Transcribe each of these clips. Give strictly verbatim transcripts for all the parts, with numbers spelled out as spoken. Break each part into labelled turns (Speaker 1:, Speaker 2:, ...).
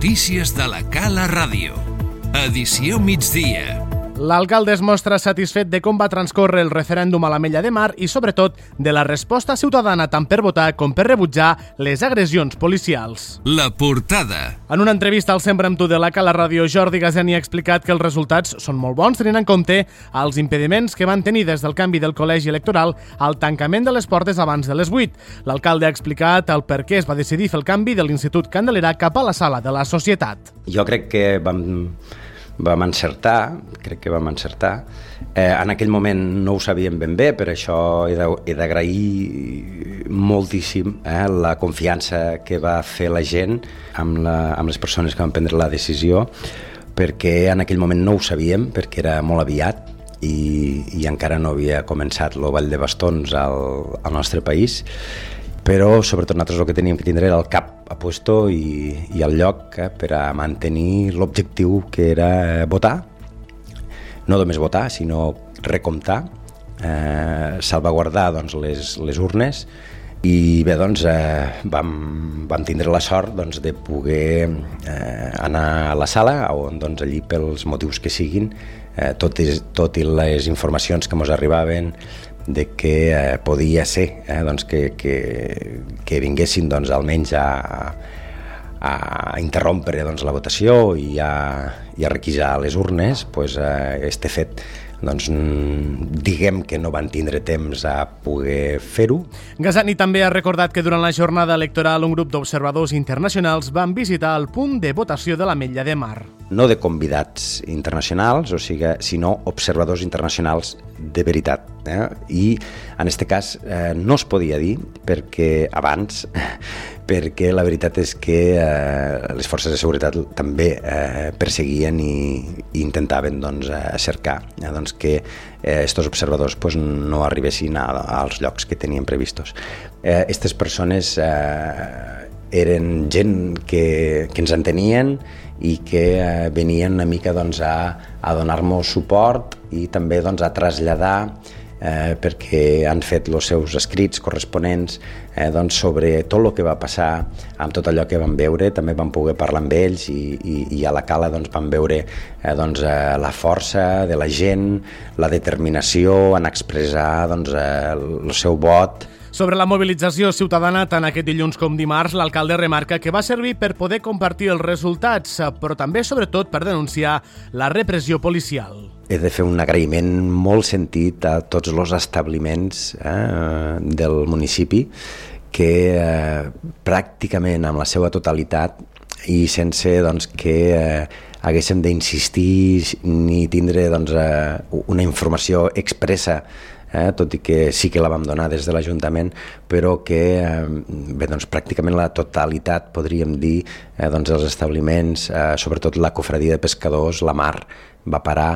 Speaker 1: Notícies de la Cala Ràdio. Edició migdia.
Speaker 2: L'alcalde es mostra satisfet de com va transcórrer el referèndum a l'Ametlla de Mar i, sobretot, de la resposta ciutadana tant per votar com per rebutjar les agressions policials.
Speaker 1: La portada.
Speaker 2: En una entrevista al Sempre amb tu de la Cala Ràdio, Jordi Gazani ha explicat que els resultats són molt bons, tenint en compte els impediments que van tenir des del canvi del col·legi electoral al tancament de les portes abans de les vuit. L'alcalde ha explicat el per què es va decidir fer el canvi de l'Institut Candelera cap a la sala de la Societat.
Speaker 3: Jo crec que vam... vam encertar, crec que vam encertar. Eh, en aquell moment no ho sabíem ben bé, per això he d'agrair moltíssim eh, la confiança que va fer la gent amb, la, amb les persones que van prendre la decisió, perquè en aquell moment no ho sabíem, perquè era molt aviat i, i encara no havia començat el ball de bastons al, al nostre país, però sobretot nosaltres el que teníem que tindre era el cap a puesto i, i el lloc eh, per a mantenir l'objectiu que era votar, no només votar, sinó recomptar, eh, salvaguardar doncs, les, les urnes i bé, doncs, eh, vam, vam tindre la sort doncs, de poder eh, anar a la sala on doncs, allí pels motius que siguin, eh, tot, i, tot i les informacions que ens arribaven de que eh, podia ser eh, doncs que, que, que vinguessin doncs, almenys a, a interrompre doncs, la votació i a, i a requisar les urnes, pues, eh, este fet doncs, diguem que no van tindre temps a poder fer-ho.
Speaker 2: Gazani també ha recordat que durant la jornada electoral un grup d'observadors internacionals van visitar el punt de votació de l'Ametlla de Mar.
Speaker 3: No de convidats internacionals, o sigui, sinó observadors internacionals de veritat. Eh? I en aquest cas eh, no es podia dir perquè abans, perquè la veritat és que eh, les forces de seguretat també eh, perseguien i, i intentaven doncs, eh, cercar eh, doncs, que aquests eh, observadors pues, no arribessin a, als llocs que tenien previstos. Aquestes eh, persones eh, eren gent que, que ens entenien i que eh, venien una mica doncs, a, a donar-nos suport i també doncs, a traslladar eh, perquè han fet els seus escrits corresponents eh, doncs, sobre tot el que va passar amb tot allò que van veure. També vam poder parlar amb ells i, i, i a la Cala doncs, vam veure eh, doncs, eh, la força de la gent, la determinació en expressar doncs, eh, el seu vot.
Speaker 2: Sobre la mobilització ciutadana, tant aquest dilluns com dimarts, l'alcalde remarca que va servir per poder compartir els resultats, però també, sobretot, per denunciar la repressió policial.
Speaker 3: He de fer un agraïment molt sentit a tots els establiments eh, del municipi que eh, pràcticament amb la seva totalitat i sense doncs, que eh, haguéssim d'insistir ni tindre doncs, eh, una informació expressa, Eh, tot i que sí que la vam donar des de l'Ajuntament, però que eh, bé, doncs, pràcticament la totalitat, podríem dir, eh, doncs, els establiments, eh, sobretot la cofradia de pescadors, la Mar, va parar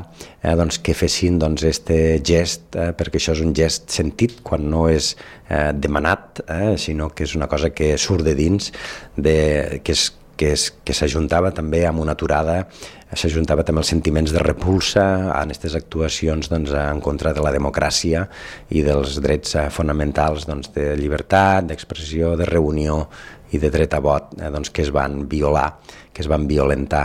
Speaker 3: eh, doncs, que fessin doncs, este gest, eh, perquè això és un gest sentit quan no és eh, demanat, eh, sinó que és una cosa que surt de dins, de, que és que, és, que s'ajuntava també amb una aturada, s'ajuntava també els sentiments de repulsa en aquestes actuacions doncs, en contra de la democràcia i dels drets fonamentals doncs, de llibertat, d'expressió, de reunió i de dret a vot eh, doncs, que es van violar, que es van violentar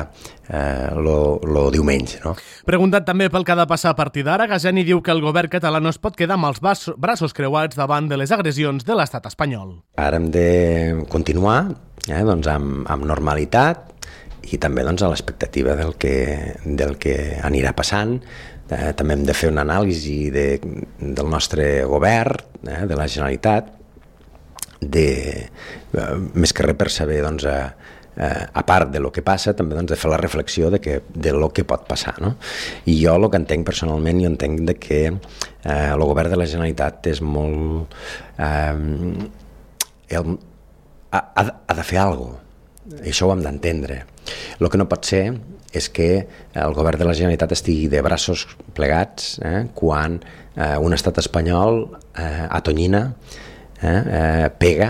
Speaker 3: eh, lo, lo diumenge. No?
Speaker 2: Preguntat també pel que ha de passar a partir d'ara, Gazani diu que el govern català no es pot quedar amb els braços creuats davant de les agressions de l'estat espanyol.
Speaker 3: Ara hem de continuar eh, doncs, amb, amb normalitat i també doncs, a l'expectativa del que, del que anirà passant. Eh, també hem de fer una anàlisi de, del nostre govern, eh, de la Generalitat, de, eh, més que res per saber, doncs, eh, eh, a part de lo que passa, també doncs, de fer la reflexió de, que, de lo que pot passar. No? I jo el que entenc personalment, jo entenc de que eh, el govern de la Generalitat és molt... Eh, el, ha, ha de fer alguna cosa. Això ho hem d'entendre. El que no pot ser és que el govern de la Generalitat estigui de braços plegats eh, quan eh, un estat espanyol eh, atonyina, eh, eh, pega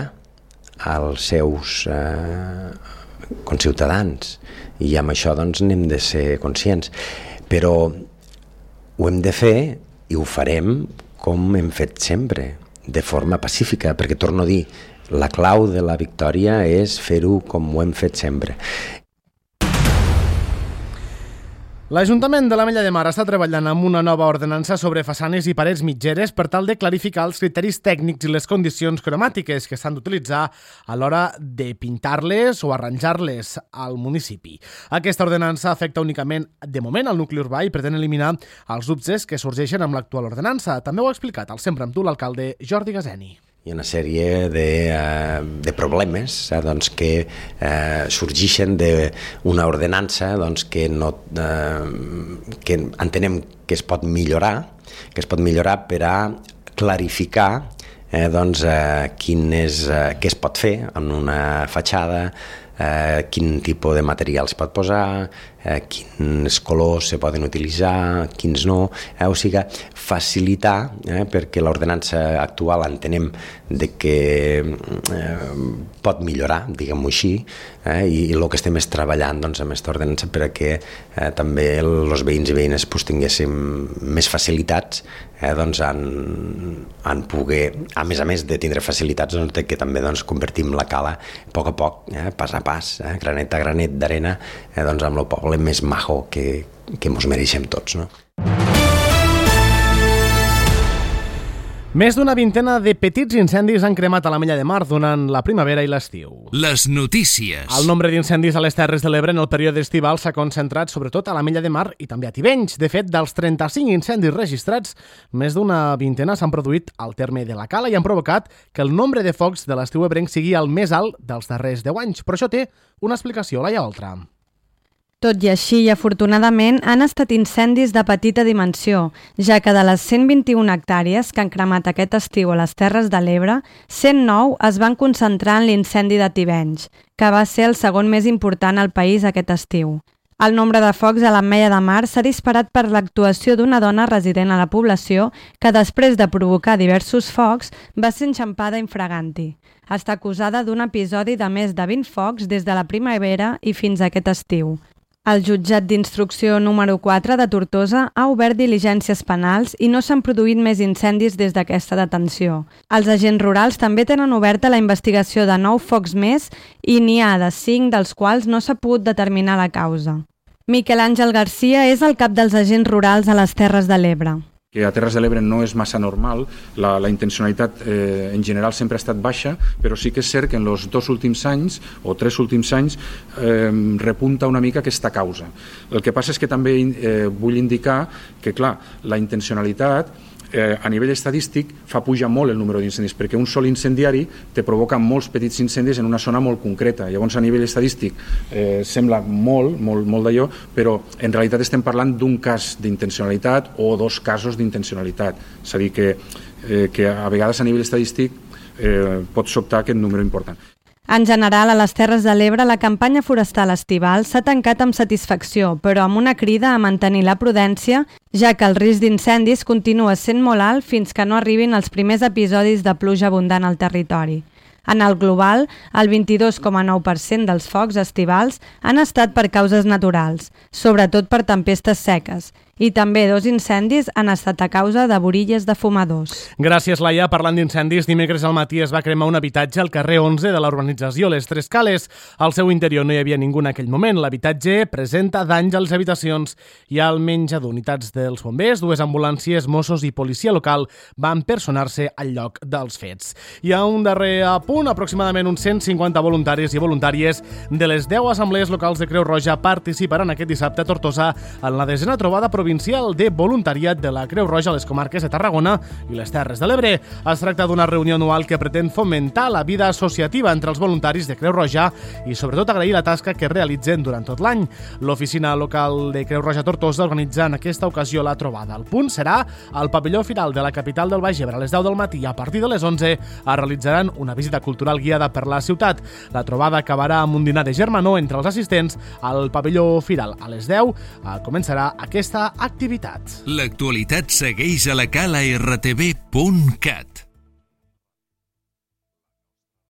Speaker 3: als seus eh, conciutadans i amb això doncs, n'hem de ser conscients. Però ho hem de fer i ho farem com hem fet sempre, de forma pacífica, perquè torno a dir, la clau de la victòria és fer-ho com ho hem fet sempre.
Speaker 2: L'Ajuntament de l'Ametlla de Mar està treballant amb una nova ordenança sobre façanes i parets mitgeres per tal de clarificar els criteris tècnics i les condicions cromàtiques que s'han d'utilitzar a l'hora de pintar-les o arranjar-les al municipi. Aquesta ordenança afecta únicament, de moment, al nucli urbà i pretén eliminar els dubtes que sorgeixen amb l'actual ordenança. També ho ha explicat al Sempre amb tu l'alcalde Jordi Gaseni.
Speaker 3: Hi ha una sèrie de, uh, de problemes eh, doncs, que uh, sorgeixen d'una ordenança doncs, que, no, uh, que entenem que es pot millorar, que es pot millorar per a clarificar eh, doncs, uh, quin és, uh, què es pot fer en una fatxada, eh, quin tipus de material es pot posar, eh, quins colors se poden utilitzar, quins no, eh, o sigui, facilitar, eh, perquè l'ordenança actual entenem de que eh, pot millorar, diguem-ho així, eh, i, i el que estem és treballant doncs, amb aquesta ordenança perquè eh, també els veïns i veïnes pues, tinguéssim més facilitats eh, doncs, en, en poder, a més a més de tindre facilitats, doncs, de que també doncs, convertim la cala a poc a poc, eh, pas a pas, eh, granet a granet d'arena, eh, doncs, amb el poble més majo que, que mos mereixem tots, no?
Speaker 2: Més d'una vintena de petits incendis han cremat a l'Ametlla de Mar durant la primavera i l'estiu.
Speaker 1: Les notícies.
Speaker 2: El nombre d'incendis a les Terres de l'Ebre en el període estival s'ha concentrat sobretot a l'Ametlla de Mar i també a Tivenys. De fet, dels trenta-cinc incendis registrats, més d'una vintena s'han produït al terme de la Cala i han provocat que el nombre de focs de l'estiu ebrenc sigui el més alt dels darrers deu anys. Però això té una explicació, Laia Oltra.
Speaker 4: Tot i així, i afortunadament, han estat incendis de petita dimensió, ja que de les cent vint-i-una hectàrees que han cremat aquest estiu a les Terres de l'Ebre, cent nou es van concentrar en l'incendi de Tivenys, que va ser el segon més important al país aquest estiu. El nombre de focs a l'Ametlla de Mar s'ha disparat per l'actuació d'una dona resident a la població que, després de provocar diversos focs, va ser enxampada infraganti. Està acusada d'un episodi de més de vint focs des de la primavera i fins a aquest estiu. El jutjat d'instrucció número quatre de Tortosa ha obert diligències penals i no s'han produït més incendis des d'aquesta detenció. Els agents rurals també tenen oberta la investigació de nou focs més i n'hi ha de cinc dels quals no s'ha pogut determinar la causa. Miquel Àngel Garcia és el cap dels agents rurals a les Terres de l'Ebre.
Speaker 5: Que a Terres de l'Ebre no és massa normal, la, la intencionalitat eh, en general sempre ha estat baixa, però sí que és cert que en els dos últims anys, o tres últims anys, eh, repunta una mica aquesta causa. El que passa és que també eh, vull indicar que, clar, la intencionalitat eh, a nivell estadístic fa pujar molt el número d'incendis, perquè un sol incendiari te provoca molts petits incendis en una zona molt concreta. Llavors, a nivell estadístic eh, sembla molt, molt, molt d'allò, però en realitat estem parlant d'un cas d'intencionalitat o dos casos d'intencionalitat. És a dir, que, eh, que a vegades a nivell estadístic eh, pot sobtar aquest número important.
Speaker 4: En general, a les Terres de l'Ebre, la campanya forestal estival s'ha tancat amb satisfacció, però amb una crida a mantenir la prudència, ja que el risc d'incendis continua sent molt alt fins que no arribin els primers episodis de pluja abundant al territori. En el global, el vint-i-dos coma nou per cent dels focs estivals han estat per causes naturals, sobretot per tempestes seques, i també dos incendis han estat a causa de borilles de fumadors.
Speaker 2: Gràcies, Laia. Parlant d'incendis, dimecres al matí es va cremar un habitatge al carrer onze de la urbanització Les Tres Cales. Al seu interior no hi havia ningú en aquell moment. L'habitatge presenta danys a les habitacions. Hi ha almenys d'unitats dels bombers, dues ambulàncies, Mossos i policia local van personar-se al lloc dels fets. Hi ha un darrer apunt. Aproximadament uns cent cinquanta voluntaris i voluntàries de les deu assemblees locals de Creu Roja participaran aquest dissabte a Tortosa en la desena trobada provincial de voluntariat de la Creu Roja a les comarques de Tarragona i les Terres de l'Ebre. Es tracta d'una reunió anual que pretén fomentar la vida associativa entre els voluntaris de Creu Roja i sobretot agrair la tasca que realitzen durant tot l'any. L'oficina local de Creu Roja Tortosa organitza en aquesta ocasió la trobada. El punt serà al pavelló Firal de la capital del Baix Ebre a les deu del matí i a partir de les onze es realitzaran una visita cultural guiada per la ciutat. La trobada acabarà amb un dinar de germanor entre els assistents al pavelló Firal. A les deu començarà aquesta activitat.
Speaker 1: L'actualitat segueix a la cala r t v punt cat.